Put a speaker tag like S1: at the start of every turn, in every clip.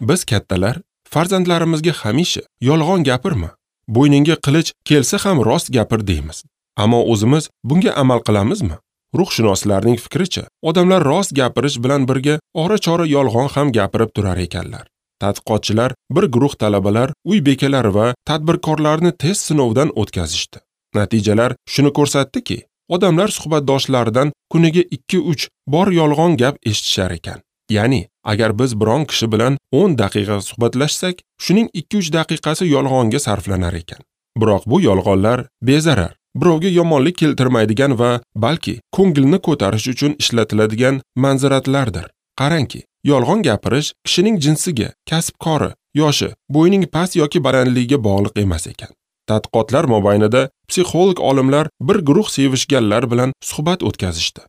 S1: Biz kattalar farzandlarimizga hamisha yolg'on gapirma, bo'yningga qilich kelsa ham rost gapir deymiz. Ammo o'zimiz bunga amal qilamizmi? Ruhshunoslarning fikricha, odamlar rost gapirish bilan birga ora-chora yolg'on ham gapirib turar ekanlar. Tadqiqotchilar bir guruh talabalar, uy bekalari va tadbirkorlarni test sinovidan o'tkazishdi. Natijalar shuni ko'rsatdiki, odamlar suhbatdoshlaridan kuniga 2-3 bor yolg'on gap eshitishar ekan. Ya'ni, agar biz biron kishi bilan 10 daqiqa suhbatlashsak, shuning 2-3 daqiqasi yolg'onga sarflanar ekan. Biroq bu yolg'onlar bezarar, birovga yomonlik keltirmaydigan va balki ko'ngilni ko'tarish uchun ishlatiladigan manziratlardir. Qarangki, yolg'on gapirish kishining jinsiga, kasb-kori, yoshi, bo'yining past yoki balandligiga bog'liq emas ekan. Tadqiqotlar mobaynida psixolog olimlar bir guruh sevishganlar bilan suhbat o'tkazishdi.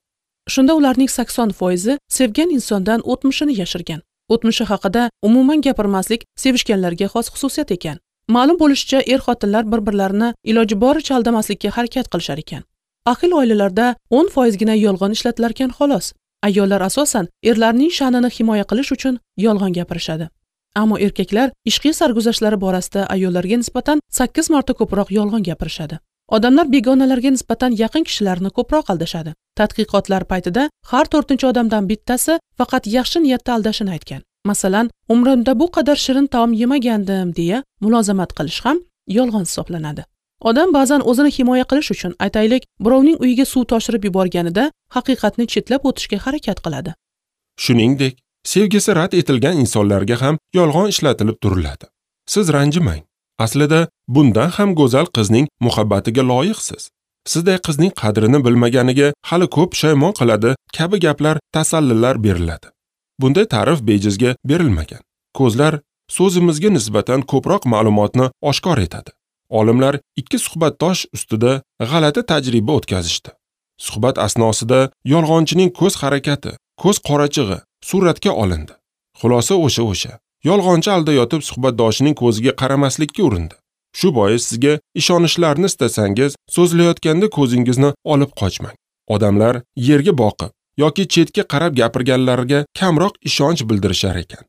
S2: Shunda ularning 80% sevgan insondan o'tmishini yashirgan. O'tmishi haqida umuman gapirmaslik sevishganlarga xos xususiyat ekan. Ma'lum bo'lishicha, er-xotinlar bir-birlarini iloji boricha aldamaslikka harakat qilishar ekan. Ahil oilalarda 10%gina yolg'on ishlatilar ekan xolos. Ayollar asosan erlarning sha'nini himoya qilish uchun yolg'on gapirishadi. Ammo erkaklar ishqiy sarguzashtlari borasida ayollarga nisbatan 8 marta ko'proq yolg'on gapirishadi. Odamlar begonalarga nisbatan yaqin kishilarni ko'proq aldashadi. Tadqiqotlar paytida har 4-odamdan bittasi faqat yaxshi niyatda aldashini aytgan. Masalan, umrimda bu qadar shirin taom yemagandim deya mulozamat qilish ham yolg'on hisoblanadi. Odam ba'zan o'zini himoya qilish uchun, aytaylik, birovning uyiga suv toshirib yuborganida haqiqatni chetlab o'tishga harakat qiladi.
S1: Shuningdek, sevgisi rad etilgan insonlarga ham yolg'on ishlatilib turiladi. Siz ranjimang. Aslida bundan ham go'zal qizning muhabbatiga loyiqsiz. Sizday qizning qadrini bilmaganiga hali ko'p pushaymon qiladi kabi gaplar, tasallilar beriladi. Bunday ta'rif bejizga berilmagan. Ko'zlar so'zimizga nisbatan ko'proq ma'lumotni oshkor etadi. Olimlar 2 suhbatdosh ustida g'alati tajriba o'tkazishdi. Suhbat asnosida yolg'onchining ko'z harakati, ko'z qorachig'i suratga olindi. Xulosa o'sha. Yolg'onchi aldayotib suhbatdoshining ko'ziga qaramaslikka urindi. Shu bois sizga ishonishlarini istasangiz, so'zlayotganda ko'zingizni olib qochmang. Odamlar yerga boqib yoki chetga qarab gapirganlarga kamroq ishonch bildirishar ekan.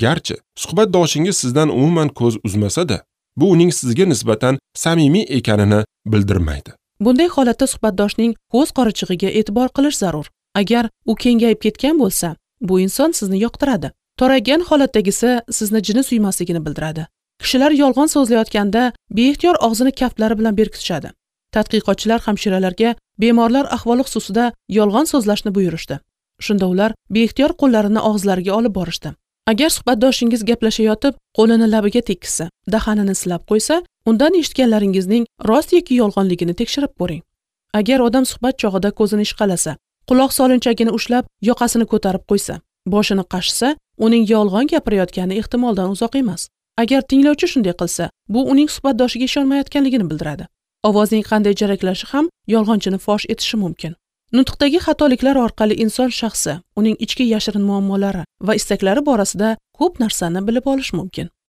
S1: Garchi suhbatdoshingiz sizdan umuman ko'z uzmasa-da, bu uning sizga nisbatan samimiy ekanini bildirmaydi.
S2: Bunday holatda suhbatdoshning ko'z qorachig'iga e'tibor qilish zarur. Agar u kengayib ketgan bo'lsa, bu inson sizni yoqtiradi. Toraygan holatdagisi sizni jini suymasligini bildiradi. Kishilar yolg'on so'zlayotganda beixtiyor og'zini kaftlari bilan berkitishadi. Tadqiqotchilar hamshiralarga bemorlar ahvoli xususida yolg'on so'zlashni buyurishdi. Shunda ular beixtiyor qo'llarini og'izlariga olib borishdi. Agar suhbatdoshingiz gaplashayotib qo'lini labiga tekkizsa, dahanini silab qo'ysa, undan eshitganlaringizning rost yoki yolg'onligini tekshirib ko'ring. Agar odam suhbat chog'ida ko'zini ishqalasa, quloq solinchagini ushlab yoqasini ko'tarib qo'ysa, boshini qashisa, uning yolg'on gapirayotgani ehtimoldan uzoq emas. Agar tinglovchi shunday qilsa, bu uning suhbatdoshiga ishonmayotganligini bildiradi. Ovozning qanday jaraklashi ham yolg'onchini fosh etishi mumkin. Nutqdagi xatoliklar orqali inson shaxsi, uning ichki yashirin muammolari va istaklari borasida ko'p narsani bilib olish mumkin.